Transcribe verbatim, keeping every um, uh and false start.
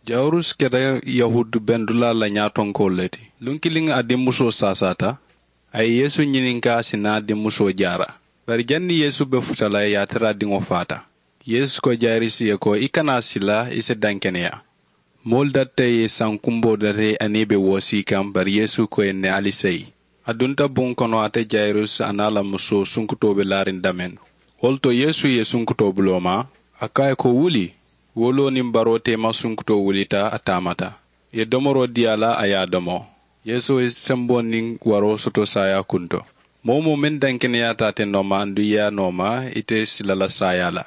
Jayirus keta yahuudu bendulaa la ñaatonkoolu le ti. Luŋ kiliŋ a dimmusoo saasaata. A ye yeesu ñininkaa a si naa dimmusoo jaara. Bari janniŋ yeesu be futa la ye a tara a diŋo faata. Yeesu ko jayirus ye ko i kana a sila, i si dankeneyaa. Moolu datta ye sankumboo data a niŋ i be woosii kaŋ, bari yeesu ko i ye ne ali seyi. A dunta buŋ kono ate jayirus a niŋ a la musoo sunkutoo be laariŋ damennu. Wo le to yeesu ye sunkutoo buloo maa, a ko a ye ko wuli. Woloo niŋ baroo teema sunkutoo wulita a taamata. Ì ye domoroo dii a la a ye a domo. Yeesu ye semboo niŋ waroo soto saayaa kunto. Moo-wo-moo meŋ dankeneyaata ate nooma aduŋ ì ye a nooma, ite si la la saayaa la.